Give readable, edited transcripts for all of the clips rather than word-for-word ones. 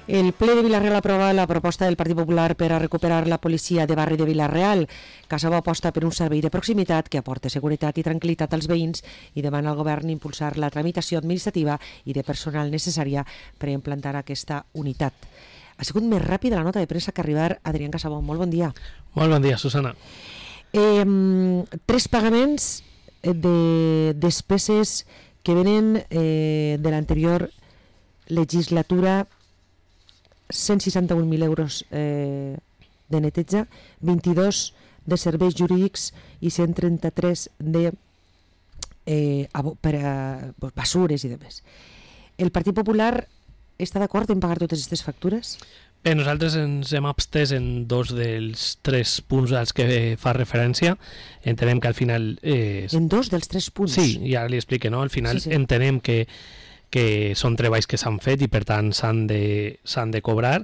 El ple de Vila-real aprova la proposta del Partit Popular per a recuperar la policia de barri de Vila-real. Casabo aposta per un servei de proximitat que aporte seguretat i tranquil·litat als veïns i demana al govern impulsar la tramitació administrativa i de personal necessària per a implantar aquesta unitat. Ha sigut més ràpida la nota de premsa que arribar Adrián Casabo. Molt bon dia. Molt bon dia, Susana. 3 pagaments de despeses que venen de l'anterior legislatura, 161.000 euros de neteja, 22 de serveis jurídics i 133 de per a basures i demés. El Partit Popular està d'acord en pagar totes aquestes factures? Bé, nosaltres ens hem abstès en 2 dels 3 punts als que fa referència. Entenem que al final... En 2 dels 3 punts? Sí, ja li explique, no? Al final sí. Entenem que són treballs que s'han fet i per tant s'han de cobrar.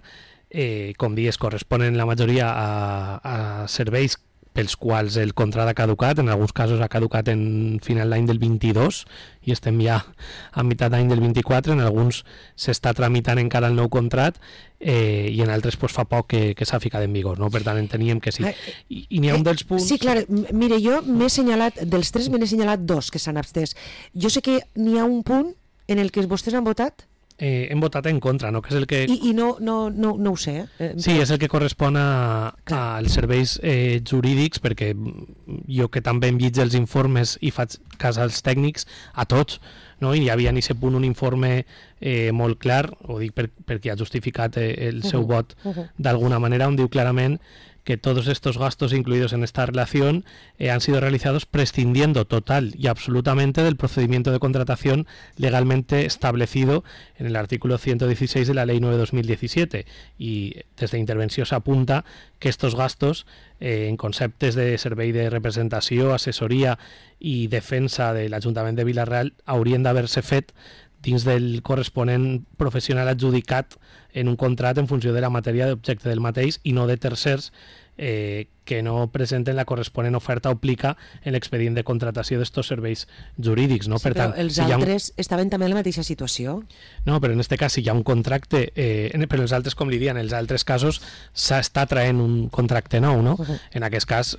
Com dius, corresponen la majoria a serveis pels quals el contracte ha caducat. En alguns casos ha caducat en final d'any del 22 i estem ja a meitat d'any del 24. En alguns s'està tramitant encara el nou contracte i en altres pues, fa poc que s'ha ficat en vigor, no? Per tant enteníem que sí. I n'hi ha un dels punts... Sí, clar, mire, jo m'he assenyalat, dels 3 m'he assenyalat 2 que s'han abstès. Jo sé que n'hi ha un punt en el que vostès han votat? Hem votat en contra, no? Que és el que... I no ho sé. Sí, és el que correspon als serveis jurídics, perquè jo que també em llig els informes i faig cas als tècnics, a tots, no? I hi havia en aquest punt un informe molt clar, ho dic perquè ha justificat el seu vot d'alguna manera, on diu clarament que todos estos gastos incluidos en esta relación han sido realizados prescindiendo total y absolutamente del procedimiento de contratación legalmente establecido en el artículo 116 de la Ley 9/2017. Y desde Intervenció s'apunta que estos gastos en conceptes de servei de representació, assessoria i defensa de l'Ajuntament de Vila-real haurien d'haver-se fet dins del corresponent professional adjudicat en un contracte en funció de la matèria d'objecte del mateix i no de tercers que no presenten la corresponent oferta o plica en l'expedient de contratació d'estos serveis jurídics. No? Sí, per tant, però els altres estaven també en la mateixa situació? No, però en aquest cas si hi ha un contracte, però els altres, com li diuen, en els altres casos s'està traient un contracte nou, no? En aquest cas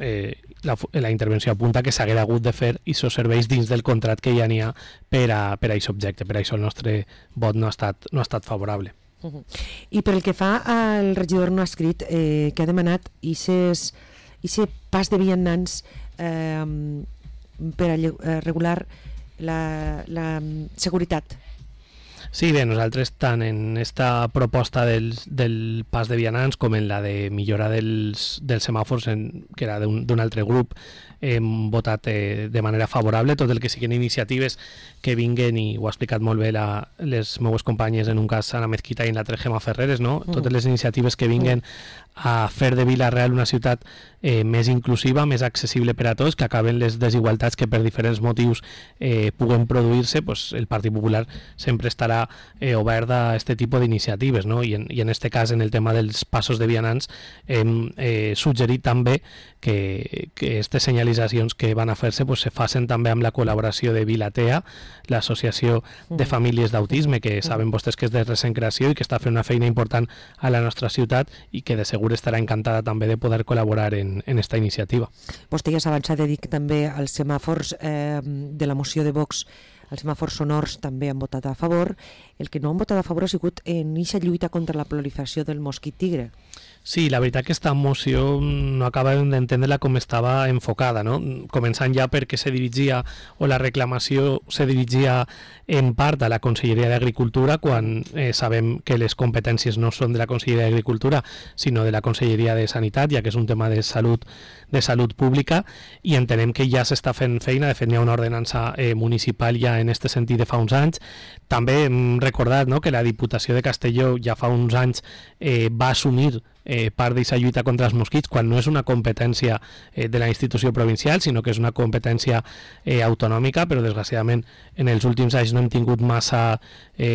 la intervenció apunta que s'haguera hagut de fer aquests serveis dins del contracte que ja n'hi ha per a aquest objecte. Per això el nostre vot no ha estat favorable. I per el que fa al regidor no escrit que ha demanat aquest pas de vianants per a regular la seguretat. Sí, bé, nosaltres tant en esta proposta del pas de vianants com en la de millora dels semàfors, que era d'un altre grup, hem votat de manera favorable. Tot el que siguin iniciatives que vinguen, i ho ha explicat molt bé les meues companyes, en un cas Anna Mezquita i en l'altre Gemma Ferreres, no? Totes les iniciatives que vinguen a fer de Vila-real una ciutat més inclusiva, més accessible per a tots, que acaben les desigualtats que per diferents motius puguen produir-se, pues el Partit Popular sempre estarà obert a aquest tipus d'iniciatives, no? I en aquest cas, en el tema dels passos de vianants, hem suggerit també que aquestes senyalitzacions que van a fer-se pues, se facin també amb la col·laboració de Vilatea, l'associació de famílies d'autisme, que saben vostès que és de recent creació i que està fent una feina important a la nostra ciutat i que de segur estarà encantada també de poder col·laborar en esta iniciativa. Vostè ja s'ha avançat a dir que també els semàfors de la moció de Vox, els semàfors sonors també han votat a favor. El que no han votat a favor ha sigut en aquesta lluita contra la proliferació del mosquit tigre. Sí, la veritat que aquesta moció no acabàvem d'entendre-la com estava enfocada, no? Començant ja perquè se dirigia, o la reclamació se dirigia en part a la Conselleria d'Agricultura, quan sabem que les competències no són de la Conselleria d'Agricultura, sinó de la Conselleria de Sanitat, ja que és un tema de salut pública, i entenem que ja s'està fent feina. De fet, hi ha una ordenança municipal ja en aquest sentit de fa uns anys. També hem recordat, no?, que la Diputació de Castelló ja fa uns anys va assumir part d'aquesta lluita contra els mosquits, quan no és una competència de la institució provincial, sinó que és una competència autonòmica, però desgraciadament en els últims anys no hem tingut massa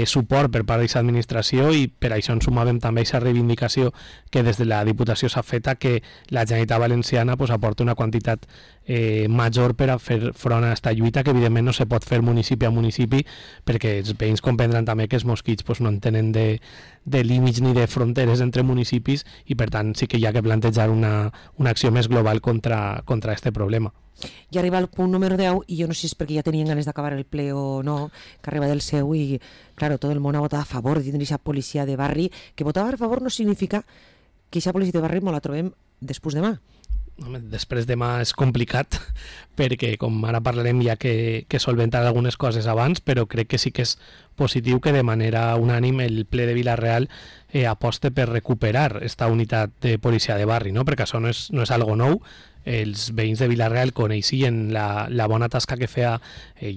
suport per part d'aquesta administració, i per això ens sumàvem també a aquesta reivindicació que des de la Diputació s'ha fet, que la Generalitat Valenciana aporta una quantitat major per a fer front a aquesta lluita, que evidentment no se pot fer municipi a municipi, perquè els veïns comprendran també que els mosquits no en tenen de límits ni de fronteres entre municipis, i per tant sí que hi ha que plantejar una acció més global contra este problema. I arriba el punt número 10, i jo no sé si és perquè ja tenien ganes d'acabar el ple o no, que arriba del seu, i claro, tot el món ha votat a favor de tindre aquesta policia de barri. Que votar a favor no significa que aquesta policia de barri me la trobem després demà. Després demà és complicat, perquè com ara parlarem hi ha que solventar algunes coses abans, però crec que sí que és positiu que de manera unànime el ple de Vila-real aposte per recuperar esta unitat de policia de barri, no? Perquè això no és algo nou. Els veïns de Vila-real coneixien la bona tasca que feia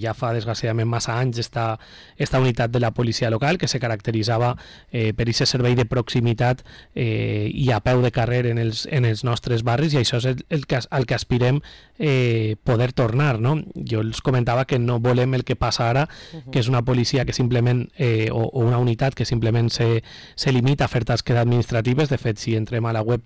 ja fa desgraciadament massa anys esta unitat de la policia local, que se caracteritzava per aquest servei de proximitat i a peu de carrer en els nostres barris, i això és el que aspirem poder tornar, no? Jo els comentava que no volem el que passa ara, que és una policia que simplement o una unitat que simplement se limita a fer tasques administratives. De fet, si entrem a la web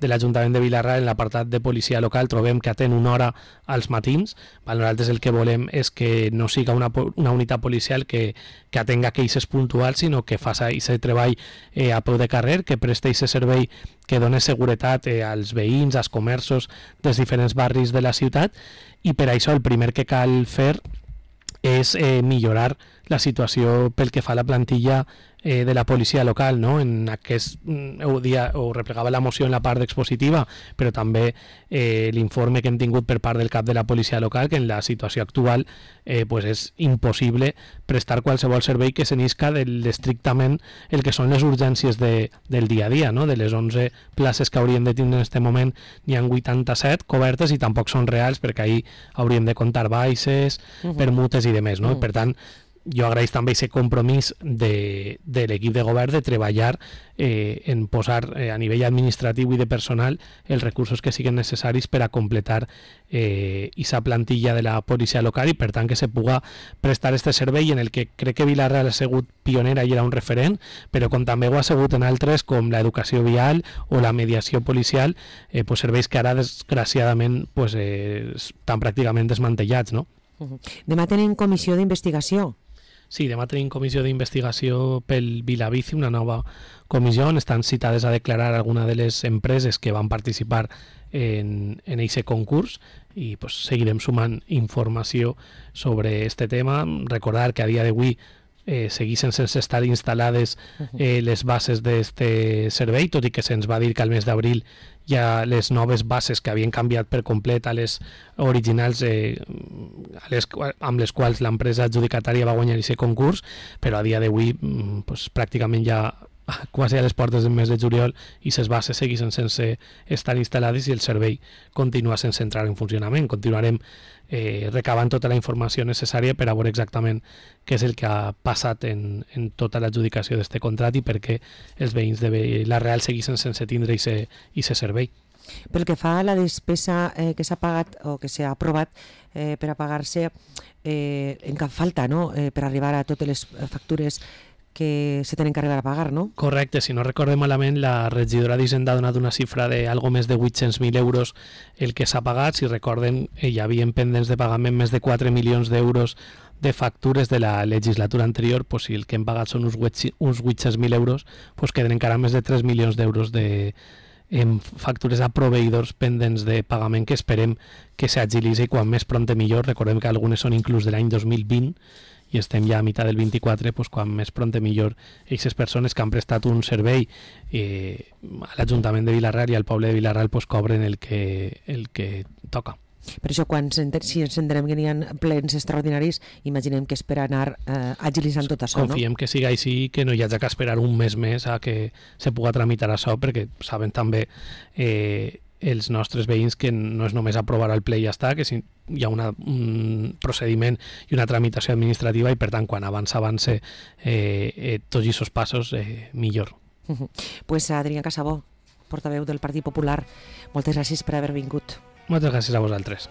de l'Ajuntament de Vila-real, en l'apartat de policia local, trobem que atén una hora als matins. Nosaltres el que volem és que no siga una unitat policial que atenga queixes puntuals, sinó que faci aquest treball a peu de carrer, que presti aquest servei que dona seguretat als veïns, als comerços dels diferents barris de la ciutat, i per això el primer que cal fer és millorar la situació pel que fa a la plantilla de la policia local, no? En aquest ho replegava la moció en la part expositiva, però també l'informe que hem tingut per part del cap de la policia local, que en la situació actual pues és impossible prestar qualsevol servei que s'enisca estrictament el que són les urgències del dia a dia, no? De les 11 places que hauríem de tindre en aquest moment, n'hi ha 87 cobertes i tampoc són reals, perquè ahir hauríem de comptar baixes, permutes i demés, no? Per tant, jo agraeix també aquest compromís de l'equip de govern de treballar en posar a nivell administratiu i de personal els recursos que siguin necessaris per a completar aquesta plantilla de la policia local, i per tant que se puga prestar este servei en el que crec que Vila-real ha sigut pionera i era un referent, però com també ho ha sigut en altres com l'educació vial o la mediació policial, pues serveis que ara desgraciadament pues, estan pràcticament desmantellats, no? Demà tenim comissió d'investigació. Sí, demà tenim comissió d'investigació pel Vilabici, una nova comissió on estan citades a declarar alguna de les empreses que van participar en aquest concurs, i pues, seguirem sumant informació sobre este tema. Recordar que a dia d'avui segueixen sense estar instal·lades les bases d'este servei, tot i que se'ns va dir que al mes d'abril hi ha les noves bases que havien canviat per complet a les originals amb les quals l'empresa adjudicatària va guanyar aquest concurs, però a dia d'avui pues, pràcticament ja quasi a les portes del mes de juliol i les bases segueixen sense estar instal·lades i el servei continua sense entrar en funcionament. Continuarem recabant tota la informació necessària per a veure exactament què és el que ha passat en tota l'adjudicació d'aquest contracte i per què els veïns de Vila-real segueixen sense tindre aquest servei. Pel que fa a la despesa que s'ha pagat o que s'ha aprovat per a pagar-se, en cap falta, no? Per arribar a totes les factures que se tenen que arribar a pagar, no? Correcte, si no recordem malament, la regidora d'Hisenda ha donat una xifra de algo més de 800.000 euros el que s'ha pagat. Si recorden, hi havia pendents de pagament més de 4 milions d'euros de factures de la legislatura anterior. Pues, si el que hem pagat són uns 800.000 euros, pues queden encara més de 3 milions d'euros en factures a proveïdors pendents de pagament que esperem que s'agilitzi quan més prompte millor. Recordem que algunes són inclús de l'any 2020 i estem ja a meitat del 24, pues, quan més prompte millor aquestes persones que han prestat un servei a l'Ajuntament de Vila-real i al poble de Vila-real pues, cobren el que toca. Per això, si ens entenem que n'hi ha plens extraordinaris, imaginem que és per anar agilitzant tot això, no? Confiem que siga així, que no hi hagi que esperar un mes més a que se puga tramitar això, perquè saben també els nostres veïns que no és només aprovar el ple i ja està, que hi ha un procediment i una tramitació administrativa, i per tant quan avança tots aquests passos millor. Pues Adrià Casabó, portaveu del Partit Popular, moltes gràcies per haver vingut. Moltes gràcies a vosaltres.